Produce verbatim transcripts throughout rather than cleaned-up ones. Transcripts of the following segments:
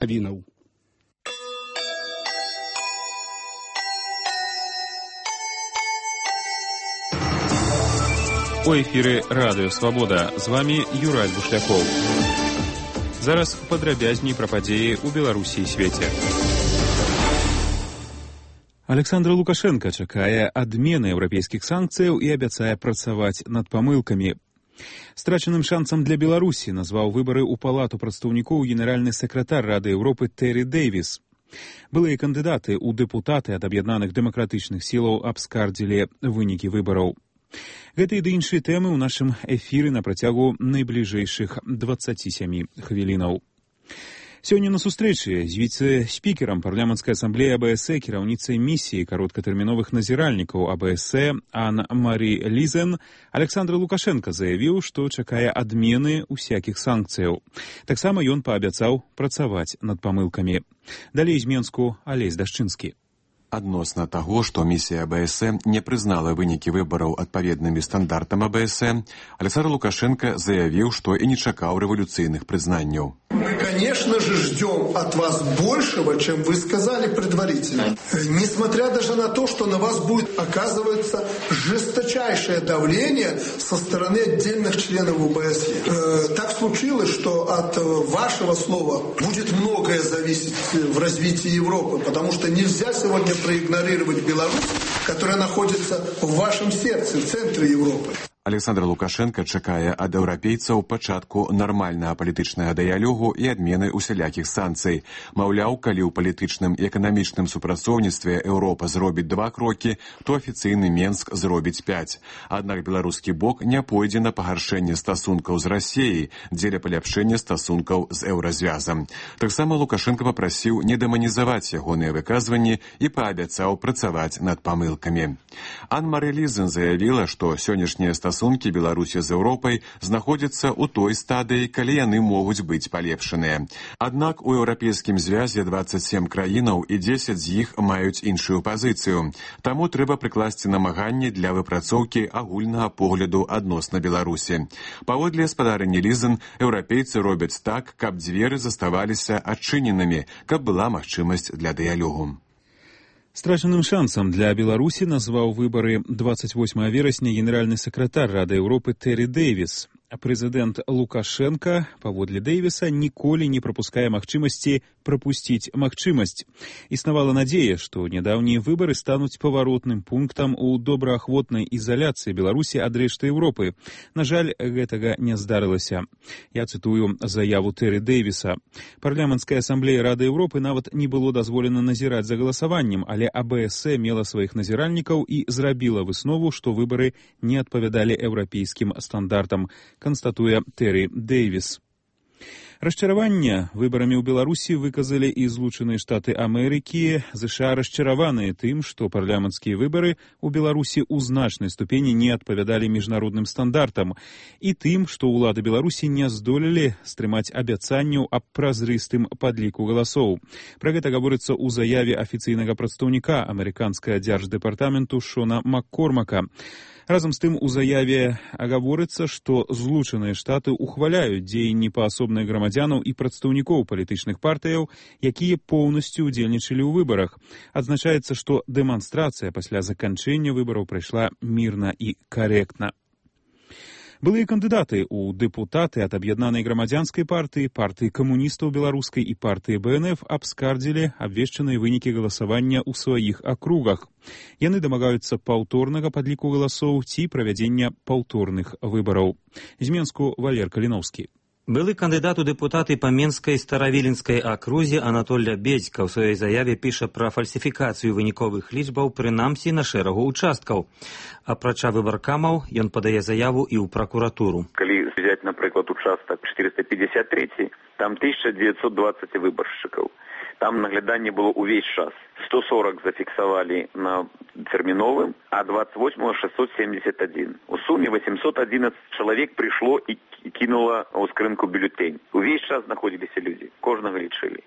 навінаў. У эфіры Радыё Свабода. З вами Юрай Бушлякоў. Зараз падрабязней пра падзеі ў Беларусі і свеце. Александр Лукашенко чакае адмены еўрапейскіх санкцыяў і абяцае працаваць над памылкамі. Страчаным шансам для Беларусі назваў выбары ў палату прадстаўнікоў генеральны сакратар Рады Еўропы Тэры Дэйвіс. Былыя кандыдаты ў дэпутаты ад аб'яднаных дэмакратычных сілаў абскардзілі вынікі выбараў. Гэта і ды іншыя тэмы ў нашым эфіры на працягу найбліжэйшых дваццаці сямі хвілінаў. Сёння на сустрэчы з віцэ-спікерам парламенцкай асамблеі АБС, кіраўніцай місіі кароткатэрміновых назіральнікаў АБС Ан-Марі Лізен, Александр Лукашенко заявіў, што чакае адмены усякіх санкцыяў. Таксама ён паабяцаў працаваць над памылкамі. Далей з Менску Алесь Дашчынскі. Адносна таго, што місія АБС не прызнала вынікі выбараў адпаведнымі стандартам АБС, Александр Лукашенко заявіў, што і не чакаў рэволюцыйных прызнанняў. Мы, конечно же, ждем от вас большего, чем вы сказали предварительно. Несмотря даже на то, что на вас будет оказываться жесточайшее давление со стороны отдельных членов ОБСЕ. Э, так случилось, что от вашего слова будет многое зависеть в развитии Европы, потому что нельзя сегодня проигнорировать Беларусь, которая находится в вашем сердце, в центре Европы. Александр Лукашенко чакае ад еўрапейцаў пачатку нармальнага палітычнага дыялогу і адмены усялякіх санкцый. Маўляў, калі ў палітычным і эканамічным супрацоўніцтве Еўропа зробіць два крокі, то афіцыйны Менск зробіць пяць. Аднак беларускі бок не пойдзе на пагаршэнне стасункаў з Расіяй дзеля паляпшэння стасункаў з еўразвязам. Таксама Лукашенко папрасіў не дэманізаваць ягоныя выказванні і паабяцаў працаваць над памылкамі. Ан-Марі Лізен заявіла, што сённяшнія стасункі Стасункі Беларусі з Еўропай знаходзяцца ў той стадыі, калі яны могуць быць палепшаныя. Аднак у еўрапейскім звязе дваццаць сем краінаў і дзесяць з іх маюць іншую пазіцыю. Таму трэба прыкласці намаганні для выпрацоўкі агульнага погляду адносна Беларусі. Паводле спадарні Лізен, еўрапейцы робяць так, каб дзверы заставаліся адчыненымі, каб была магчымасць для дыялогу. Страчаным шансам для Беларусі назваў выбары дваццаць восьмага верасня генеральны сакратар Рады Еўропы Тэры Дэйвіс. Прэзідэнт Лукашенко, паводле Дэйвіса, ніколі не прапускае магчымасці прапусціць магчымасць. Існавала надзея, што нядаўнія выбары стануць паваротным пунктам у добраахвотнай ізаляцыі Беларусі ад рэшты Еўропы. На жаль, гэтага не здарылася. Я цытую заяву Тэры Дэйвіса. Парламенцкая асамблея Рады Еўропы нават не было дазволена назіраць за галасаваннем, але АБС мела сваіх назіральнікаў і зрабіла выснову, што выбары не адпавядалі еўрапейскім стандартам, канстатуе Тэры Дэйвіс. Расчараванне выбарамі ў Беларусі выказалі і Злучаныя Штаты Амерыкі. ЗША расчараваныя тым, што парламенцкія выбары ў Беларусі ў значнай ступені не адпавядалі міжнародным стандартам, і тым, што ўлады Беларусі не здолелі стрымаць абяцанняў аб празрыстым падліку галасоў. Пра гэта гаворыцца ў заяве афіцыйнага прадстаўніка амерыканскага дзярждэпартаменту Шона Маккормака. Разам з тым у заяве гаворыцца, што Злучаныя Штаты ухваляюць дзеянні паасобных грамадзянаў і прадстаўнікоў палітычных партыяў, якія поўнасцю удзельнічалі ў выбарах. Адзначаецца, што дэманстрацыя пасля заканчэння выбараў прайшла мірна і карэктна. Былыя кандыдаты ў дэпутаты ад аб'яднанай грамадзянскай партыі, партыі камуністаў беларускай і партыі БНФ абскардзілі абвешчаныя вынікі галасавання ў сваіх акругах. Яны дамагаюцца паўторнага падліку галасоў ці правядзення паўторных выбараў. З Менску Валер Каліноўскі. Былы кандыдат у дэпутаты па Менскай Старавіленскай акрузе Анатоль Бедзька ў сваёй заяве піша пра фальсіфікацыю выніковых лічбаў, прынамсі на шэрагу участкаў. Апрача выбаркамаў, ён падае заяву і ў пракуратуру. Калі взять, напрыклад, участак четыреста пятьдесят три, там тысяча девятьсот двадцать выбаршчыкаў. Там нагляданне было ўвесь час. сто сорок зафіксавалі на тэрміновым, а двадцать восемь шестьсот семьдесят один. У суме восемьсот одиннадцать чалавек прыйшло і кинула ў скрынку бюлетень. Увесь час знаходзіліся людзі, кожнага лічылі.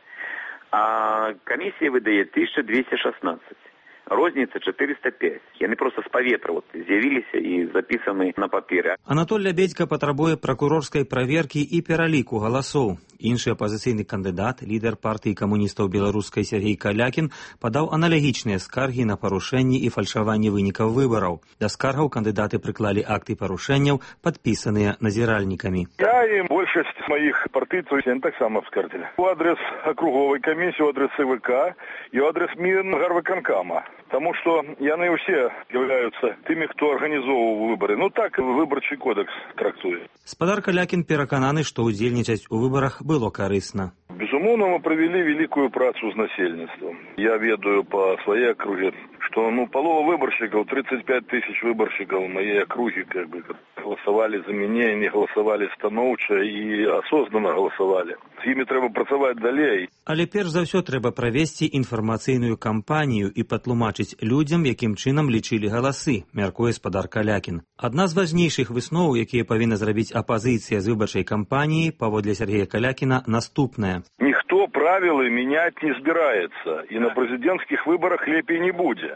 А камісія выдае тысяча двести шестнадцать. Розніца четыреста пять. Яны просто з паветра вот, з'явіліся і запісаны на паперы. Анатоль Бедзька патрабуе пракурорскай праверкі і пераліку галасоў. Іншы апазіцыйны кандыдат, лідар партыі камуністаў беларускай Сергей Калякін, падаў аналагічныя скаргі на парушэнні і фальшаванне вынікаў выбараў. Да скаргаў кандыдаты прыклалі акты парушэнняў, падпісаныя назіральнікамі. Я і большасць маіх партыйцаў таксама скардзілі. У адрес акруговай камісіі, у адрес ЦВК і у адрес Мінгарвыканкама. Таму што яны ўсе з'яўляюцца тымі, хто арганізоўваў выбары. Ну так выбарчы кодекс трактуе. Спадар Калякін перакананы, што ўдзельнічаць у выбарах было карысна. Безумоўно, мы правялі вялікую працу з насельніцтвам. Я ведаю па сваёй акруге, што ну палова выбаршчыкаў, тридцать пять тысяч выбаршчыкаў маей акругі, как бы, галасавалі за мяне, не галасавалі станоўча і асознанна галасавалі. З імі трэба працаваць далей. Але перш за ўсё трэба правесці інфармацыйную кампанію і патлумачыць людзям, якім чынам лічылі галасы, мяркуе спадар Калякін. Адна з важнейшых высноў, якія павінна зрабіць апазіцыя з выбарчай кампаніі, паводле Сергея Калякіна, наступная. Ніхто правілы мяняць не збіраецца, і на прэзідэнцкіх выбарах лепей не будзе.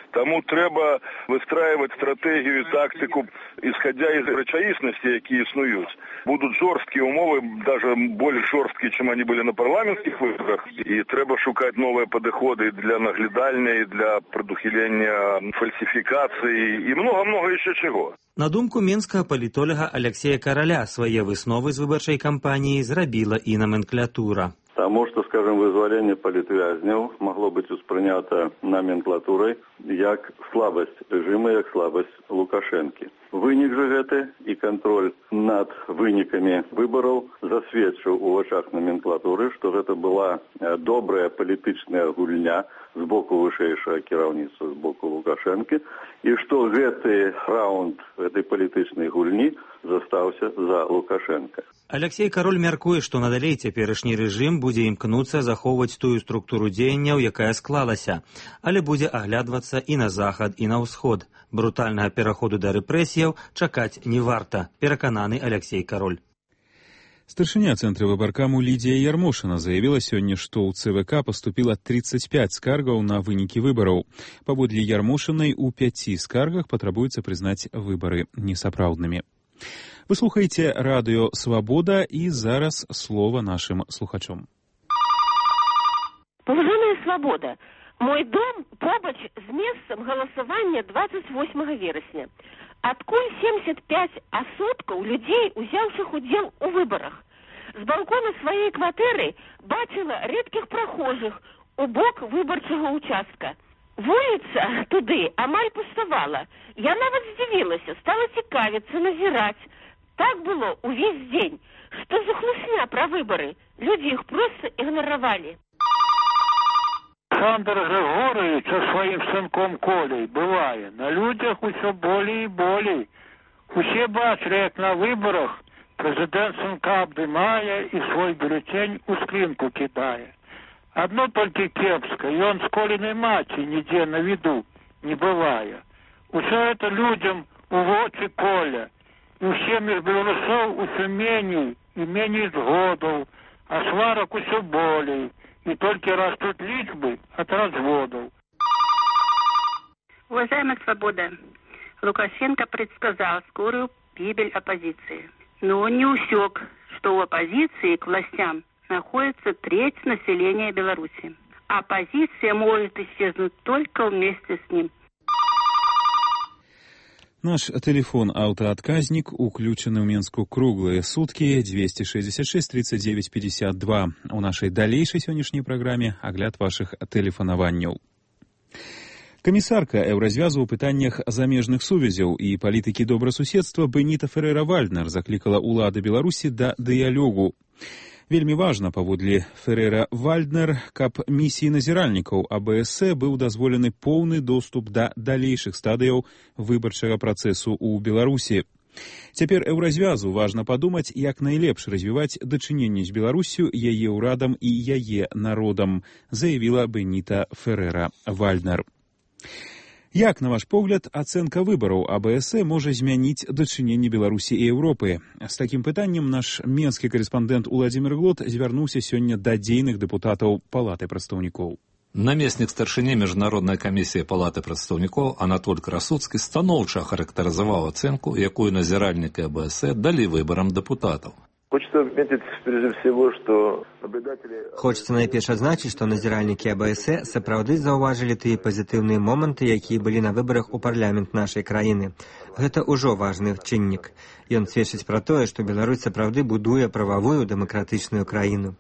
Таму трэба выстраивать стратегію, тактику, исходя из рэчаіснасці, якія існуюць. Будут жорсткія умовы, даже больш жорсткія, чым они были на парламенцкіх выборах. І трэба шукаць новыя падыходы для наглядальня, для прадухілення фальсіфікацыі і много-много яшчэ чаго. На думку менскага палітолага Алексея Караля, свае высновы з выбарчай кампаніі зрабіла і номенклатура. Таму што, скажем, вызваленне палітвязняў магло быць успрынята номенклатурай як слабасць рэжыма, як слабасць Лукашэнкі. Вынік жа гэты і кантроль над вынікамі выбараў засведчыў у вачах номенклатуры, што гэта была добрая палітычная гульня з боку вышэйшага кіраўніцтва, з боку Лукашэнкі, і што гэты раунд гэтай палітычнай гульні застаўся за Лукашэнка. Алексей Кароль мяркуе, што надалей цяперашні рэжым будзе імкнуцца захоўваць тую структуру дзеянняў, якая склалася, але будзе аглядвацца і на захад, і на ўсход. Брутальнага пераходу да рэпрэсіяў чакаць не варта, перакананы Алексей Кароль. Старшыня цэнтра выбаркаму Лідія Ярмошына заявіла сёння, што ў ЦВК паступіла тридцать пять скаргаў на вынікі выбараў. Паводле Ярмошынай, у пяці скаргах патрабуецца прызнаць выбары несапраўднымі. Вы слухаеце радыё «Свабода» і зараз слова нашым слухачом. Паважаная «Свабода», мой дом побач з месцам галасавання двадцать восьмага верасня. Адкуль семьдесят пять асобкаў людзей, узяўшых удзел у выбарах. З балкона сваёй кватэры бачыла рэдкіх прахожых у бок выбарчага участка. Вуліца туды амаль пуставала. Я нават здзівілася, стала цікавіцца, назіраць. Так было увесь дзень. Што за хлусня пра выбары? Людзі іх проста ігнаравалі. Александр Григорович со своим сынком Колей бывае. На людях усё болей і болей. Усе бачылі, як на выборах прэзідэнт сынка абдымае і свой бюллетень у скринку кідае. Одно только кепска, ён з Колиной маці нідзе на виду не бывае. Усё это людям у вочы Коля. І ўсім іх беларусоў усё меней і меней згодаў, а сварак усё болей. И только растут личбы от разводов. Уважаемая «Свобода», Лукашенко предсказал скорую гибель оппозиции. Но он не усек, что у оппозиции к властям находится треть населения Беларуси. Оппозиция может исчезнуть только вместе с ним. Наш телефон аўтаадказнік уключаны ў Менску круглыя суткі двести шестьдесят шесть тридцать девять пятьдесят два. У нашай далейшай сённяшняй праграме агляд вашых тэлефанаванняў. Камісарка еўразвязу ў пытаннях замежных сувязяў і палітыкі добрасуседства Беніта Ферера-Вальднер заклікала ўлады Беларусі да дыялогу. Вельмі важна, паводле Ферера-Вальднер, каб місіі назіральнікаў АБС быў дазволены поўны доступ да далейшых стадыяў выбарчага працэсу ў Беларусі. Цяпер еўразвязу важна падумаць, як найлепш развіваць дачыненні з Беларусю, яе ўрадам і яе народам, заявіла Беніта Ферера-Вальднер. Як, на ваш погляд, ацэнка выбараў АБС можа змяніць дачыненні Беларусі і Еўропы? З такім пытаннем наш менскі карэспандэнт Уладзімір Глот звярнуўся сёння да дзейных дэпутатаў Палаты прадстаўнікоў. Намеснік старшыні Міжнароднай камісіі Палаты прадстаўнікоў Анатоль Красуцкі станоўча характарызаваў ацэнку, якую назіральнікі АБС далі выбарам дэпутатаў. Хочется отметить прежде всего, что наблюдатели... Хочется найперш адзначыць, што назіральнікі АБС сапраўды заўважылі тыя пазітыўныя моманты, якія былі на выбарах у парламент нашай краіны. Гэта ўжо важны чыннік. Ён сведчыць пра тое, што Беларусь сапраўды будуе прававую дэмакратычную краіну.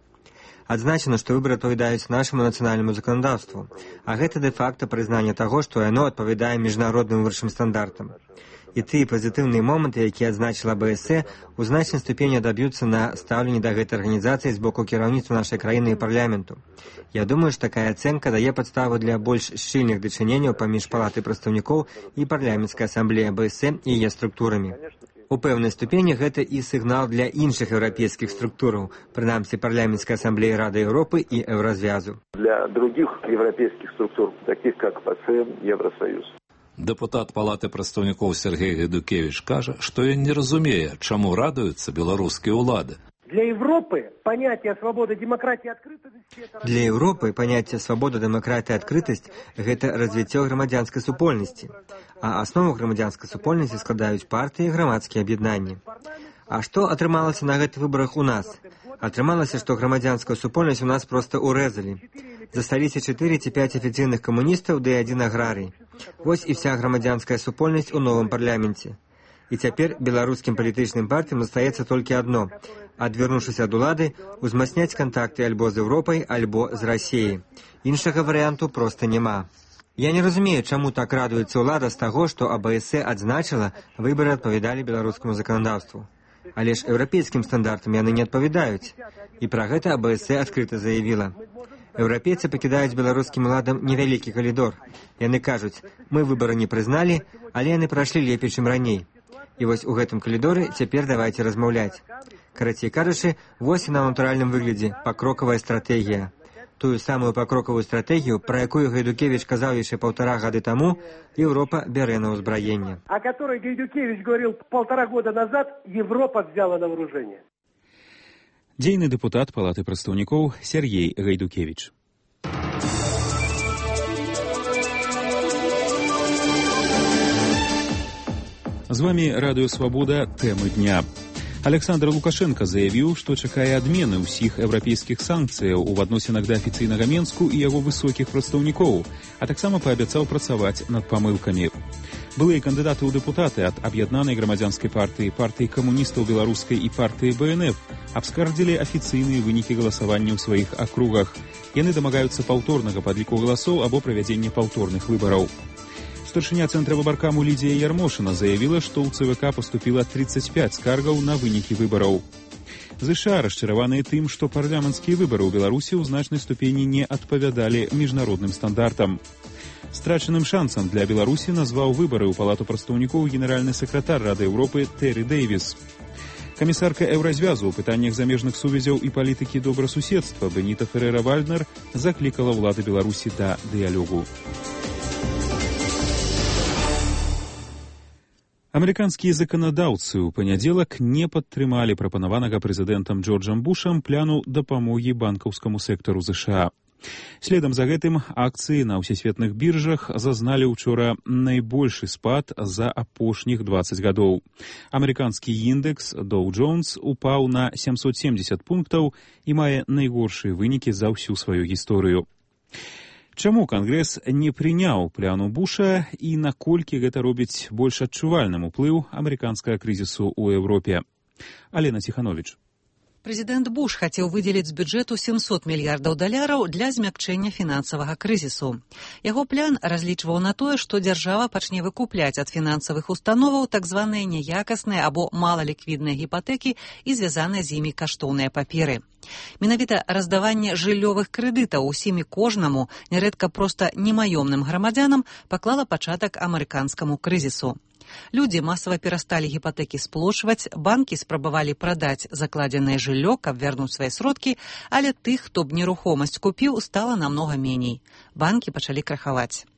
Адзначана, што выбары адпавядаюць нашаму нацыянальнаму заканадаўству, а гэта дэ-факта прызнанне таго, што яно адпавядае міжнародным вышэйшым стандартам. І тыя пазітыўныя моманты, якія адзначыла АБС, у значнай ступені адаб'юцца на стаўленні да гэтай арганізацыі з боку кіраўніцтва нашай краіны і парламенту. Я думаю, што такая ацэнка дае падставу для больш шчыльных дачыненняў паміж палатай прадстаўнікоў і парламенцкай асамблеі АБС і яе структурамі. У пэўнай ступені гэта і сігнал для іншых еўрапейскіх структураў, прынамсі парламенцкай асамблеі Рады Еўропы і Еўразвязу. Для других европейских структур, таких как ПАСЕ, Евросоюз. Дэпутат палаты прадстаўнікоў Сергей Гайдукевич кажа, што ён не разумее, чаму радуюцца беларускія ўлады. Для Европы понятие свободы, демократии, открытости... Для Европы понятие свобода, демократия, открытость – это развитие громадянской супольности. А основу громадянской супольности складаюць партии и громадские объединения. А что атрымалася на гэтых выборах у нас? Атрымалася, что громадянскую супольность у нас просто урезали. Засталіся чатыры ці пяць афіцыйных камуністаў ды адзін аграрый. Вось і вся громадянская супольнасць у новым парламенце. І цяпер беларускім палітычным партыям застаецца толькі адно – адвярнуўшыся ад улады, узмацняць кантакты альбо з Еўропай, альбо з Расіяй. Іншага варыянту проста няма. Я не разумею, чаму так радуецца ўлада з таго, што АБС адзначыла, выбары адпавядалі беларускаму заканадаўству. Але ж еўрапейскім стандартам яны не адпавядаюць. І пра гэта АБС адкрыта заявіла. Еўрапейцы пакідаюць беларускім уладам невялікі калідор. Яны кажуць, мы выбары не прызналі, але яны прайшлі лепей, чым раней. І вось у гэтым калідоры цяпер давайце размаўляць. Карацей кажучы, вось і на натуральным выглядзе пакрокавая стратэгія. Тую самую пакрокавую стратэгію, пра якую Гайдукевич казаў яшчэ паўтара гады таму, Еўропа бярэ на ўзбраенне. О которой Гайдукевич говорил полтора года назад, Европа взяла на вооружение. Дзейны дэпутат палаты прадстаўнікоў Сергей Гайдукевич. З вами Радыё Свабода, тэмы дня. Александр Лукашенко заявіў, што чакае адмены ўсіх еўрапейскіх санкцыяў у адносінах да афіцыйнага Менску і яго высокіх прадстаўнікоў, а таксама паабяцаў працаваць над памылкамі. Былыя кандыдаты ў дэпутаты ад аб'яднанай грамадзянскай партыі, партыі камуністаў беларускай і партыі БНФ абскардзілі афіцыйныя вынікі галасавання ў сваіх акругах. Яны дамагаюцца паўторнага падліку галасоў або правядзення паўторных выбараў. Старшыня цэнтра выбаркаму Лідія Ярмошына заявіла, што ў ЦВК паступіла тридцать пять скаргаў на вынікі выбараў. ЗША расчараваныя тым, што парламенцкія выбары ў Беларусі ў значнай ступені не адпавядалі міжнародным стандартам. Страчаным шансам для Беларусі назваў выбары ў палату прадстаўнікоў генеральны сакратар Рады Еўропы Тэры Дэйвіс. Камісарка Еўразвязу ў пытаннях замежных сувязяў і палітыкі добрасуседства Беніта Ферэра-Вальднер заклікала ўлады Беларусі да дыялогу. Амерыканскія заканадаўцы ў панядзелак не падтрымалі прапанаванага прэзідэнтам Джорджам Бушам пляну дапамогі банкаўскаму сектару ЗША. Следам за гэтым акцыі на ўсесветных біржах зазналі учора найбольшы спад за апошніх двадцать гадоў. Амерыканскі індекс Dow Jones упаў на семьсот семьдесят пунктаў і мае найгоршыя вынікі за ўсю сваю гісторыю. Чаму Кангрэс не прыняў пляну Буша і наколькі гэта робіць больш адчувальным уплыў амерыканскага крызісу ў Еўропе? Алена Ціхановіч. Прэзідэнт Буш хацеў выдзеліць з бюджэту семьсот мільярдаў даляраў для змякчэння фінансавага крызісу. Яго план разлічваў на тое, што дзяржава пачне выкупляць ад фінансавых установаў так званыя няякасныя або малаліквідныя гіпатэкі і звязаныя з імі каштоўныя паперы. Менавіта раздаванне жыллёвых крэдытаў усім і кожнаму, нярэдка проста немаёмным грамадзянам, паклала пачатак амерыканскаму крызісу. Людзі масава перасталі гіпатэкі сплочваць, банкі спрабавалі прадаць закладзенае жыллё, каб вярнуць свае сродкі, але тых, хто б нерухомасць купіў, стала намнога меней. Банкі пачалі крахаваць.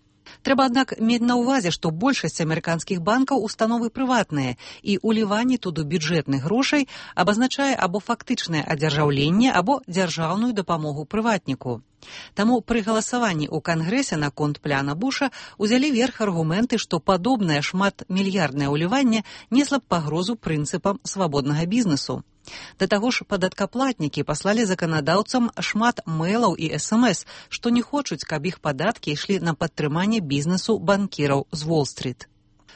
Трэба, аднак, мець на ўвазе, што большасць амерыканскіх банкаў установы прыватныя, і ўліванне туды бюджэтных грошай абазначае або фактычнае адзяржаўленне, або дзяржаўную дапамогу прыватніку. Таму пры галасаванні ў Кангрэсе наконт пляна Буша узялі верх аргументы, што падобнае шматмільярднае ўліванне несла б пагрозу прынцыпам свабоднага бізнесу. Да таго ж падаткаплатнікі паслалі заканадаўцам шмат мэйлаў і эс эм эс, што не хочуць, каб іх падаткі ішлі на падтрыманне бізнесу банкіраў з Уолл-стріт.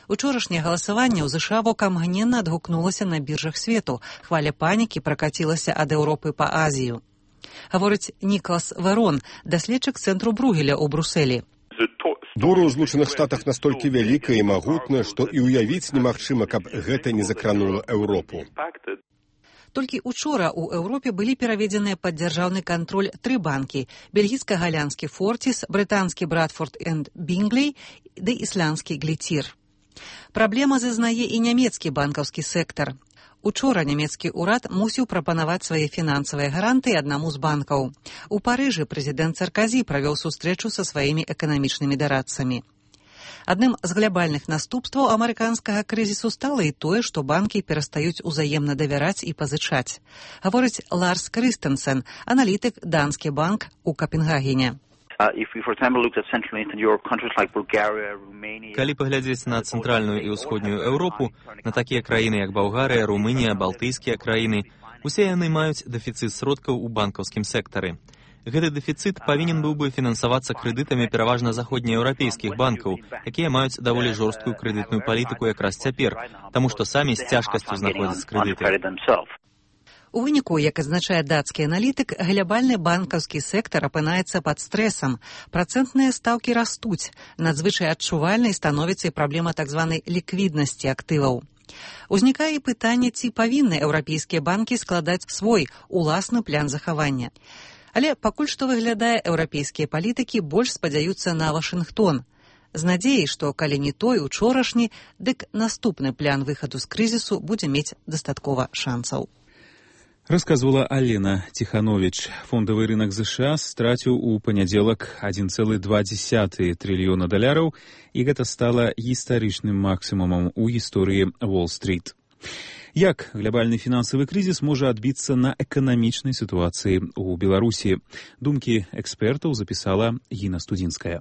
Учорашняе галасаванне ў ЗША вокамгненна адгукнулася на біржах свету. Хваля панікі пракацілася ад Еўропы па Азію. Гаворыць Нікалас Верон, даследчык цэнтру Бругеля ў Брусэлі. Бура ў Злучаных Штатах настолькі вялікая і магутная, што і ўявіць немагчыма, каб гэта не закранула Еўропу. Толькі учора ў Еўропе былі пераведзеныя пад дзяржаўны кантроль тры банкі: бельгійска-галянскі Форціс, брытанскі Брадфорд энд Бінглей ды ісландскі Глітір. Праблема зазнае і нямецкі банкаўскі сектар. Учора нямецкі ўрад мусіў прапанаваць свае фінансавыя гарантыі аднаму з банкаў. У Парыжы прэзідэнт Сарказі правёў сустрэчу са сваімі эканамічнымі дарадцамі. Адным з глябальных наступстваў амерыканскага крызісу стала і тое, што банкі перастаюць узаемна давяраць і пазычаць. Гаворыць Ларс Крыстенсен, аналітык Данскі банк у Капенгагене. Калі паглядзець на цэнтральную і ўсходнюю Еўропу, на такія краіны, як Балгарыя, Румынія, Балтыйскія краіны, усе яны маюць дэфіцыт сродкаў у банкаўскім сектары. Гэты дэфіцыт павінен быў бы фінансавацца крэдытамі пераважна заходнееўрапейскіх банкаў, якія маюць даволі жорсткую крэдытную палітыку якраз цяпер, таму што самі з цяжкасцю знаходзяць крэдыты. У выніку, як азначае дацкі аналітык, глябальны банкаўскі сектар апынаецца пад стрэсам. Працэнтныя стаўкі растуць, надзвычай адчувальнай становіцца і праблема так званай ліквіднасці актываў. Узнікае пытанне, ці павінны еўрапейскія банкі складаць свой уласны план захавання. Але пакуль што выглядае, еўрапейскія палітыкі больш спадзяюцца на Вашынгтон. З надзеяй, што калі не той учорашні, дык наступны план выхаду з крызісу будзе мець дастаткова шансаў. Расказвала Алена Тиханович. Фондавы рынок ЗША страціў у панядзелак адзін цэлых два дзесятых трыльёна даляраў, і гэта стала гістарычным максімумам у гісторыі Уолл-стріт. Як глобальны фінансавы крызіс можа адбіцца на эканамічнай сітуацыі ў Беларусі? Думкі экспертаў запісала Гіна Студзінская.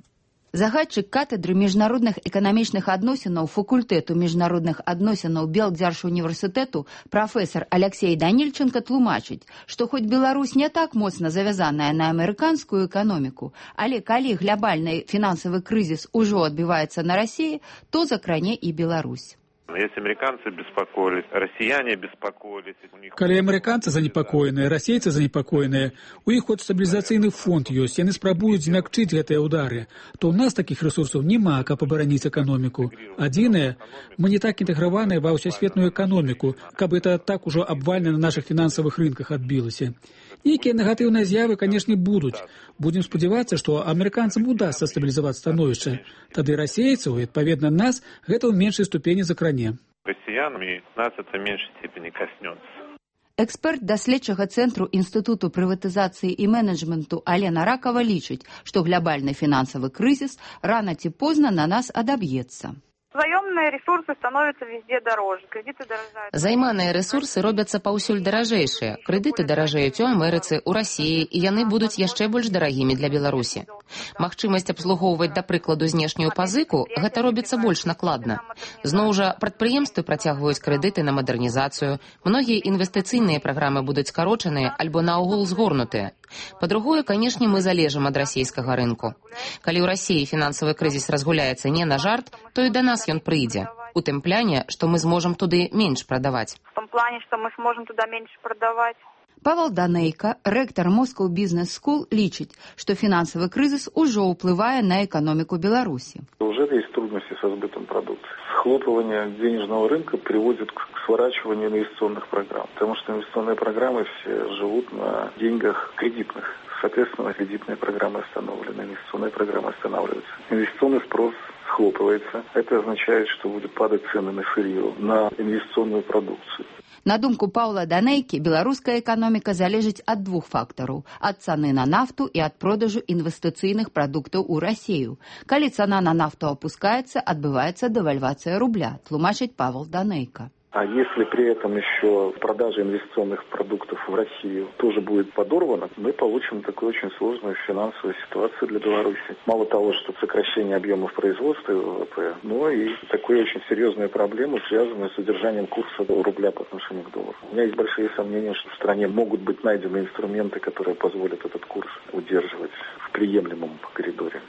Загадчык катедры міжнародных эканамічных адносінаў факультэту міжнародных адносінаў Белдзяржуніверсітэту прафесар Алексей Данільченко тлумачыць, што хоць Беларусь не так моцна завязаная на амерыканскую эканоміку, але калі глобальны фінансавы крызіс ужо адбіваецца на Расіі, то закране і Беларусь. Если американцы беспокоились, россияне беспокоились. Калі амерыканцы занепакоеныя, расейцы занепакоеныя, у іх хоць стабілізацыйны фонд ёсць, яны спрабуюць змякчыць гэтыя ўдары, то ў нас такіх рэсурсаў няма, каб абараніць эканоміку. Адзінае, мы не так інтэграваныя ва ўсесветную эканоміку, каб это так ужо абвальна на нашых фінансавых рынках адбілася. Нейкія негатыўныя з'явы, канешне, будуць. Будзем спадзявацца, што амерыканцам удасца стабілізаваць становішча. Тады расейцаў, і, адпаведна, нас гэта ў меншай ступені закране. Россиянами нас это в меньшей степени коснется. Эксперт даследчага цэнтру Інстытуту прыватызацыі і менеджменту Алена Ракава лічыць, што глобальны фінансавы крызіс рана ці позна на нас адаб'ецца. Заёмныя ресурсы становятся везде дороже, кредиты дорожают. Займаныя ресурсы робяцца паўсюль даражэйшыя. Крэдыты даражэюць у Амерыцы, у Расіі, і яны будуць яшчэ больш дарагімі для Беларусі. Магчымасць абслугоўваць, да прыкладу, знешнюю пазыку, гэта робіцца больш накладна. Зноў жа, прадпрыемствы працягваюць крэдыты на мадэрнізацыю, многія інвестыцыйныя праграмы будуць скарочаныя альбо наогул згорнутыя. Па-другое, канешне, мы залежым ад расійскага рынку. Калі ў Расіі фінансавы крызіс разгуляецца не на жарт, то і да нас ён прыйдзе. У тым пляне, што мы зможам туды менш прадаваць. В том плане, што мы зможам туды менш прадаваць. Павел Данейка, рэктар Moscow Business School, лічыць, што фінансавы крызіс ужо ўплывае на эканоміку Беларусі. Уже есть трудности со сбытом продукции. Схлопывание денежного рынка приводит к сворачиванию инвестиционных программ, потому что инвестиционные программы все живут на деньгах кредитных. Соответственно, кредитные программы остановлены, инвестиционные программы останавливаются. Инвестиционный спрос схлопывается. Это означает, что будут падать цены на сырье, на инвестиционную продукцию. На думку Паўла Данейкі, беларуская эканоміка залежыць ад двух фактараў – ад цаны на нафту і ад продажу інвестыцыйных прадуктаў у Расію. Калі цана на нафту апускаецца, адбываецца дэвальвацыя рубля, тлумачыць Павел Данейка. А если при этом еще продажа инвестиционных продуктов в Россию тоже будет подорвана, мы получим такую очень сложную финансовую ситуацию для Беларуси. Мало того, что сокращение объемов производства и ВВП, но и такую очень серьезную проблему, связанную с удержанием курса рубля по отношению к доллару. У меня есть большие сомнения, что в стране могут быть найдены инструменты, которые позволят этот курс удерживать в приемлемом коридоре.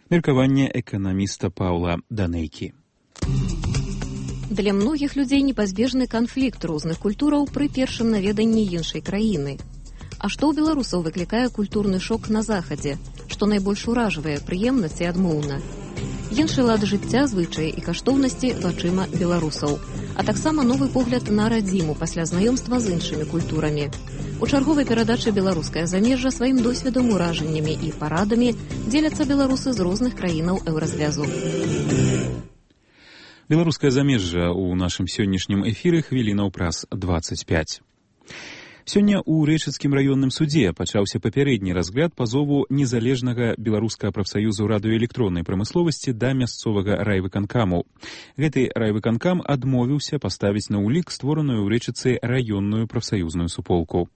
Меркаванне эканаміста Паўла Данейкі. Для многіх людзей непазбежны канфлікт розных культураў пры першым наведанні іншай краіны. А што ў беларусаў выклікае культурны шок на захадзе, што найбольш уражвае прыемнасць і адмоўна? Іншы лад жыцця, звычаі і каштоўнасці вачыма беларусаў, а таксама новы погляд на радзіму пасля знаёмства з іншымі культурамі. У чарговай перадачы «Беларускае замежжа» сваім досведам, уражаннямі і парадамі дзеляцца беларусы з розных краінаў еўразвязу. Беларускае замежжа ў нашым сённяшнім эфіры хвілінаў праз дваццаць пяць. Сёння ў Рэчыцкім раённым судзе пачаўся папярэдні разгляд пазову незалежнага беларускага прафсаюзу радыёэлектроннай прамысловасці да мясцовага райвыканкаму. Гэты райвыканкам адмовіўся паставіць на ўлік створаную ў Рэчыцы раённую прафсаюзную суполку.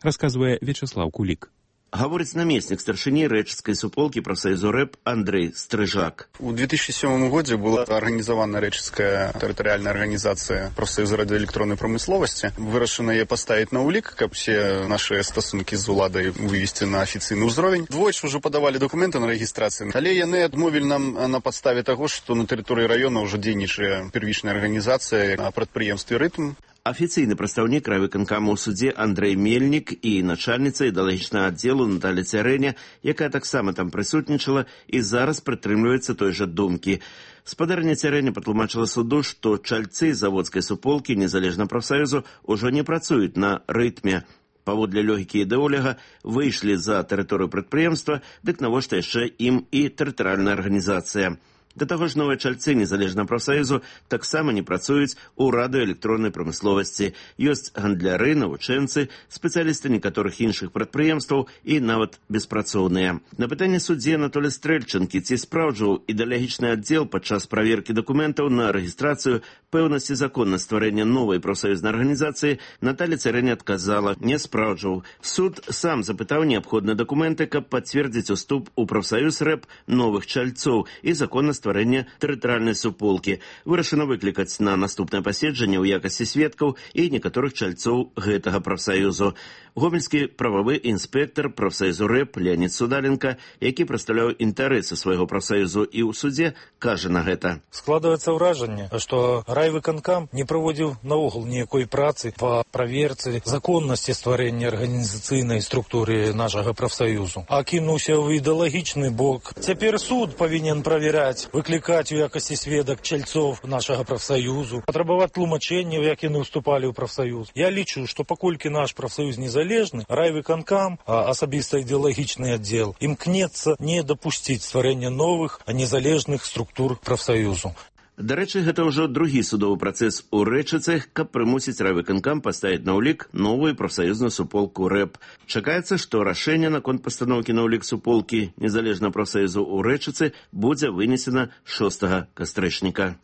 Расказвае Вячеслав Кулик. Гаворыць намеснік старшыні рэчыцкай суполкі прафсаюзу рэп Андрей Стрыжак. У две тысячи седьмом году была организована Рэчыцкая территориальная организация прафсаюза радиоэлектронной промысловости. Вырашана яе поставить на улик, как все наши стосунки з уладай вывести на офіцыйны ўзровень. Двойчы уже подавали документы на регистрацию. Але яны адмовілі нам на подставе того, что на территории района уже дзейнічае первичная организация на прадпрыемстве «Рытм». Афіцыйны прадстаўнік райвыканкаму ў судзе Андрей Мельнік і начальніца ідэалагічнага аддзелу Наталя Цярэня, якая таксама там прысутнічала і зараз прытрымліваецца той жа думкі. Спадарня Цярэня патлумачыла суду, што чальцы заводскай суполкі незалежна прафсаюзу ўжо не працуюць на рытме. Паводле логікі ідэоляга выйшлі за тэрыторыю прадпрыемства, дык навошта яшчэ ім і тэрытарыяльная арганізацыя. Да таго ж новыя чальцы незалежна прафсаюзу таксама не працуюць у радыёэлектроннай прамысловасці. Ёсць гандляры, навучэнцы, спецыялісты некаторых іншых прадпрыемстваў і нават беспрацоўныя. На пытанне суддзі Анатолія Стрэльчанкі, ці спраўджваў ідэалагічны аддзел падчас праверкі дакументаў на рэгістрацыю пэўнасці законнасці стварэння новай прафсаюзнай арганізацыі, Наталя Цярэня адказала: не спраўджваў. Суд сам запытаў неабходныя дакументы, каб пацвердзіць уступ у прафсаюз рэп новых чальцоў і законнасць стварэння тэрытарыяльнай суполкі. Вырашана выклікаць на наступнае паседжанне ў якасці сведкаў і некаторых чальцоў гэтага прафсаюзу. Гомельскі прававы інспектор прафсаюзу рэп Леонід Судаленко, які прадстаўляў інтарэсы свайго прафсаюзу і ў судзе, кажа на гэта. Складваецца ўражанне, што райвыканкам не праводзіў наогул ніякой працы па праверцы законнасці стварэння арганізацыйнай структуры нашага прафсаюзу, а кінуўся ў ідэалагічны бок. Цяпер суд павінен праверяць, выклікаць у якасці сведак чальцоў нашага прафсаюзу, патрабаваць тлумачэнняў, як яны ўступалі ў прафсаюз. Я лічу, што паколькі наш прафсаюз незалежны, райвыканкам, а асабіста ідэалагічны аддзел, імкнецца не дапусціць стварэння новых, а незалежных структур прафсаюзу. Дарэчы, гэта ўжо другі судовы працэс у Рэчыцы, каб прымусіць райвыканкам паставіць на ўлік новую прафсаюзную суполку рэп. Чакаецца, што рашэнне наконт пастаноўкі на ўлік суполкі незалежна прафсаюзу ў Рэчыцы будзе вынесена шостага кастрычніка.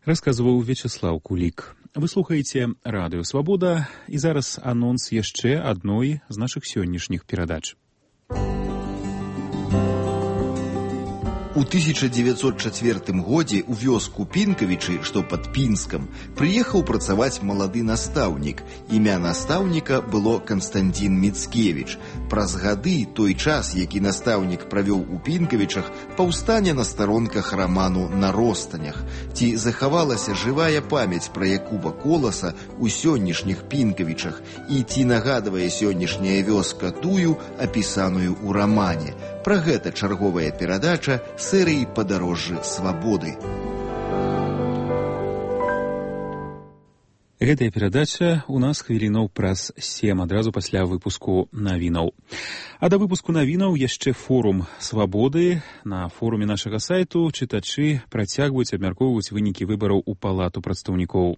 Расказваў Вячеслав Кулик. Вы слухаеце радыё «Свабода», і зараз анонс яшчэ адной з нашых сённяшніх перадач. У тысяча девятьсот четвёртым годзе ў вёску Пінкавічы, што пад Пінскам, прыехаў працаваць малады настаўнік. Імя настаўніка было Канстантін Міцкевіч. Праз гады той час, які настаўнік правёў у Пінкавічах, паўстане на старонках раману «На ростанях». Ці захавалася жывая памяць пра Якуба Коласа ў сённяшніх Пінкавічах, і ці нагадвае сённяшняя вёска тую, апісаную ў рамане. Пра гэта чарговая перадача серыі «Падарожжы свабоды». Гэтая перадача у нас хвілінаў праз сем, адразу пасля выпуску навінаў. А да выпуску навінаў яшчэ форум «Свабоды». На форуме нашага сайту чытачы працягваюць абмяркоўваць вынікі выбараў у палату прадстаўнікоў.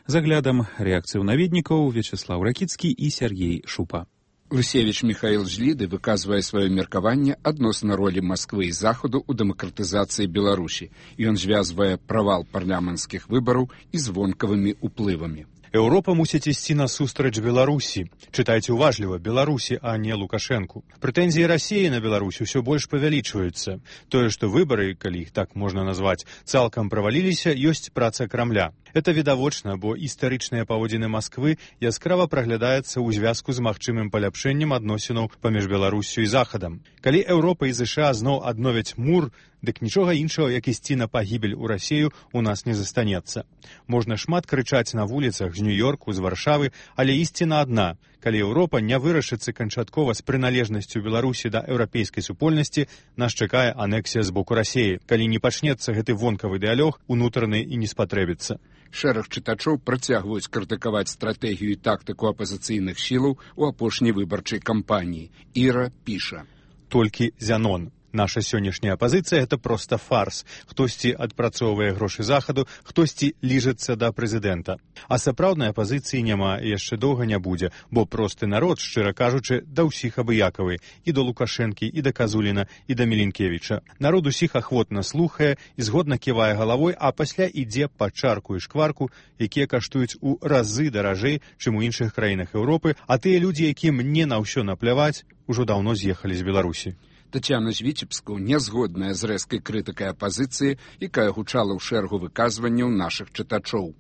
З аглядам рэакцыяў наведнікаў Вячеслав Ракіцкі і Сергей Шупа. Лысевіч Михаил Жліды выказвае сваё меркаванне адносна ролі Масквы і Захаду ў дэмакратызацыі Беларусі. Ён звязвае правал парламенцкіх выбараў і звонкавымі ўплывамі. Еўропа мусіць ісці насустрач Беларусі. Чытайце уважліва, Беларусі, а не Лукашэнку. Прэтэнзіі Расіі на Беларусь усё больш павялічваюцца. Тое, што выбары, калі іх так можна назваць, цалкам праваліліся, ёсць праца Крамля. Это відавочна, бо істарычныя паводзіны Масквы яскрава праглядаецца ў звязку з магчымым паляпшэннем адносінаў паміж Беларуссю і Захадам. Калі Еўропа і ЗША зноў адновяць мур, дык нічога іншага, як ісці на пагібель у Расію, у нас не застанецца. Можна шмат крычаць на вуліцах з Нью-Йорку, з Варшавы, але ісціна адна. Калі Еўропа не вырашыцца канчаткова з прыналежнасцю Беларусі да еўрапейскай супольнасці, нас чакае анексія з боку Расіі. Калі не пачнецца гэты вонкавы дыялог, унутраны і не спатрэбіцца. Шэраг чытачоў працягваюць крытыкаваць стратэгію і тактыку апазіцыйных сілаў у апошняй выбарчай кампаніі. Іра піша. Толькі Зянон. Наша сённяшняя апазіцыя – это проста фарс. Хтосьці адпрацоўвае грошы Захаду, хтосьці ліжацца да прэзідэнта. А сапраўднай апазіцыі няма і яшчэ доўга не будзе, бо просты народ, шчыра кажучы, да ўсіх абыякавы. І да Лукашэнкі, і да Казуліна, і да Мілінкевіча. Народ усіх ахвотна слухае і згодна ківае галавой, а пасля ідзе па чарку і шкварку, якія каштуюць у разы даражэй, чым у іншых краінах Еўропы, а тыя людзі, якім не на ўсё напляваць, ужо даўно з'ехалі з Беларусі. Тацяна з Віцебску не згодная з рэзкай крытыкай апазіцыі, якая гучала ў шэрагу выказванняў нашых чытачоў.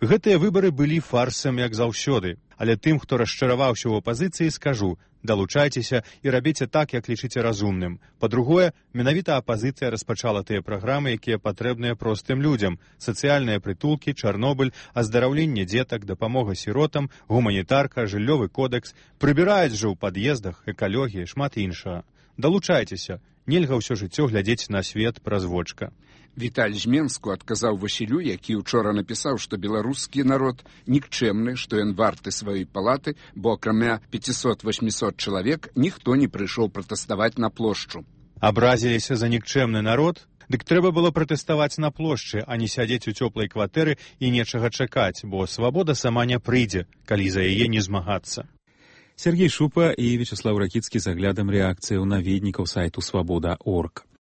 Гэтыя выбары былі фарсам, як заўсёды. Але тым, хто расчараваўся ў апазіцыі, скажу, далучайцеся і рабіце так, як лічыце разумным. Па-другое, менавіта апазіцыя распачала тыя праграмы, якія патрэбныя простым людзям. Сацыяльныя прытулкі, Чарнобыль, аздараўленне дзетак, дапамога сіротам, гуманітарка, жыллёвы кодэкс. Прыбіраюць жа ў пад'ездах, экалогія, шмат іншага. Далучайцеся, нельга ўсё жыццё глядзець на свет праз вочка. Віталь з Менску адказаў Васілю, які учора напісаў, што беларускі народ нікчэмны, што ён варты сваёй палаты, бо акрамя пяцісот-восьмісот чалавек ніхто не прыйшоў пратэставаць на плошчу. Абразіліся за нікчэмны народ? Дык трэба было пратэставаць на плошчы, а не сядзець у цёплай кватэры і нечага чакаць, бо свабода сама не прыйдзе, калі за яе не змагацца. Сергей Шупа і Вячеслав Ракіцкі з аглядам рэакцыяў наведнікаў сайту свабода точка орг.